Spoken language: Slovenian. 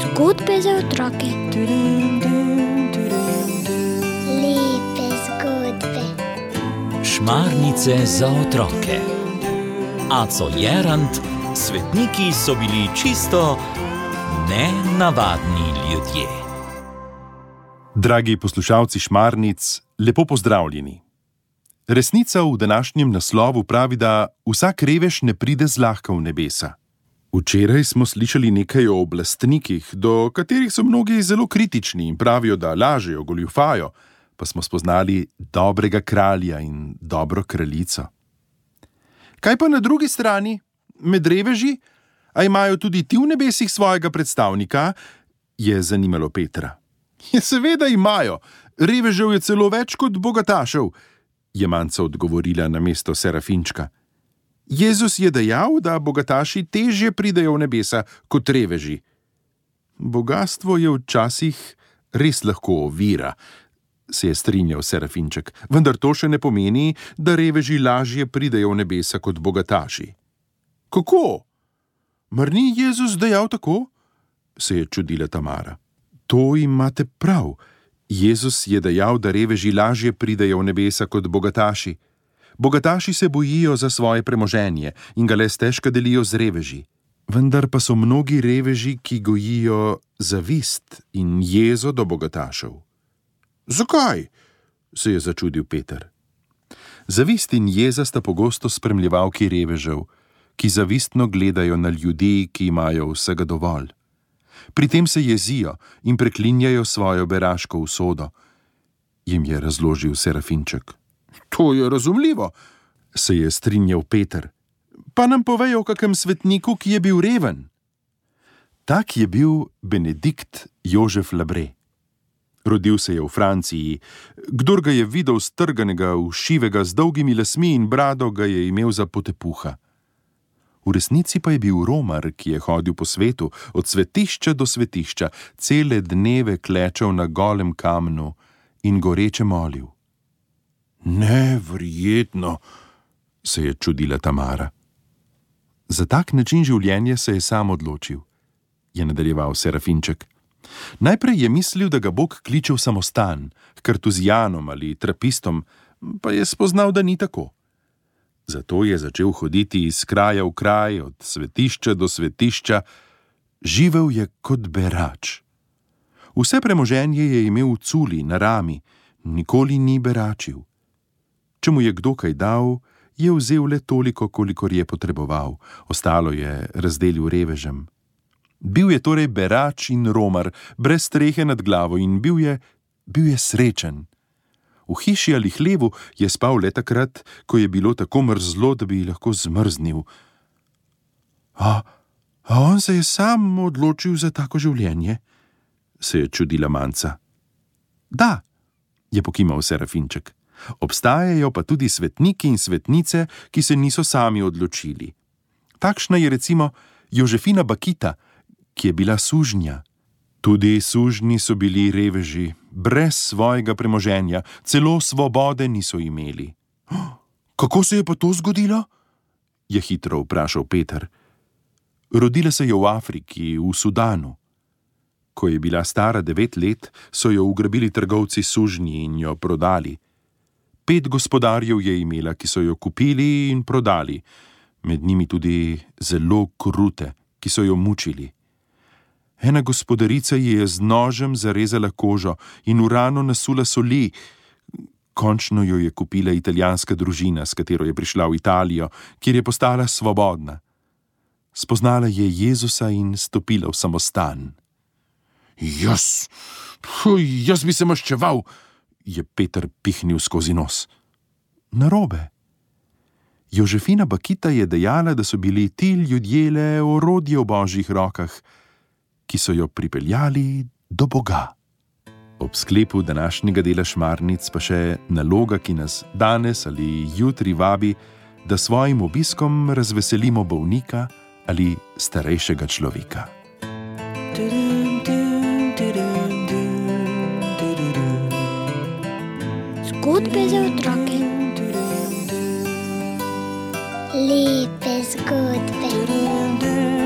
Zgodbe za otroke. Lepe zgodbe. Šmarnice za otroke. Aco Jerant, svetniki so bili čisto nenavadni ljudje. Dragi poslušalci Šmarnic, lepo pozdravljeni. Resnica v današnjem naslovu pravi, da vsak revež ne pride zlahka v nebesa. Včeraj smo slišali nekaj o oblastnikih, do katerih so mnogi zelo kritični in pravijo, da lažejo, goljufajo, pa smo spoznali dobrega kralja in dobro kraljico. Kaj pa na drugi strani, med reveži? A imajo tudi ti v nebesih svojega predstavnika? Je zanimalo Petra. Ja, seveda imajo. Revežev je celo več kot bogatašev, je Manca odgovorila namesto Serafinčka. Jezus je dejal, da bogataši težje pridejo v nebesa kot reveži. Bogastvo je včasih res lahko ovira, se je strinjal Serafinček, vendar to še ne pomeni, da reveži lažje pridejo v nebesa kot bogataši. Kako? Mar ni Jezus dejal tako? Se je čudila Tamara. To imate prav. Jezus je dejal, da reveži lažje pridejo v nebesa kot bogataši. Bogataši se bojijo za svoje premoženje in ga le stežka delijo z reveži. Vendar pa so mnogi reveži, ki gojijo zavist in jezo do bogatašev. Zakaj? Se je začudil Peter. Zavist in jeza sta pogosto spremljevalki revežev, ki zavistno gledajo na ljudi, ki imajo vsega dovolj. Pri tem se jezijo in preklinjajo svojo beraško usodo, jim je razložil Serafinček. To je razumljivo, se je strinjal Peter. Pa nam povejo o kakem svetniku, ki je bil reven. Tak je bil Benedikt Jožef Labre. Rodil se je v Franciji. Kdor ga je videl strganega, všivega, z dolgimi lasmi in brado, ga je imel za potepuha. V resnici pa je bil romar, ki je hodil po svetu, od svetišča do svetišča, cele dneve klečal na golem kamnu in goreče molil. Neverjetno, se je čudila Tamara. Za tak način življenja se je sam odločil, je nadaljeval Serafinček. Najprej je mislil, da ga Bog kliče v samostan, h kartuzijanom ali trapistom, pa je spoznal, da ni tako. Zato je začel hoditi iz kraja v kraj, od svetišča do svetišča. Živel je kot berač. Vse premoženje je imel v culi, na rami, nikoli ni beračil. Če mu je kdo kaj dal, je vzel le toliko, kolikor je potreboval, ostalo je razdelil revežem. Bil je torej berač in romar, brez strehe nad glavo in bil je srečen. V hiši ali hlevu je spal le takrat, ko je bilo tako mrzlo, da bi lahko zmrznil. A on se je sam odločil za tako življenje? Se je čudila Manca. Da, je pokimal Serafinček. Obstajajo pa tudi svetniki in svetnice, ki se niso sami odločili. Takšna je recimo Jožefina Bakita, ki je bila sužnja. Tudi sužnji so bili reveži, brez svojega premoženja, celo svobode niso imeli. Kako se je pa to zgodilo? Je hitro vprašal Peter. Rodila se je v Afriki, v Sudanu. Ko je bila stara 9 let, so jo ugrabili trgovci sužnji in jo prodali. 5 gospodarjev je imela, ki so jo kupili in prodali, med njimi tudi zelo krute, ki so jo mučili. Ena gospodarica ji je z nožem zarezala kožo in v rano nasula soli. Končno jo je kupila italijanska družina, s katero je prišla v Italijo, kjer je postala svobodna. Spoznala je Jezusa in stopila v samostan. Jaz bi se maščeval, je Peter pihnil skozi nos. Narobe. Jožefina Bakita je dejala, da so bili ti ljudje le orodje v Božjih rokah, ki so jo pripeljali do Boga. Ob sklepu današnjega dela Šmarnic pa še naloga, ki nas danes ali jutri vabi, da svojim obiskom razveselimo bolnika ali starejšega človeka. Zgodbe za otroke. Lepe zgodbe.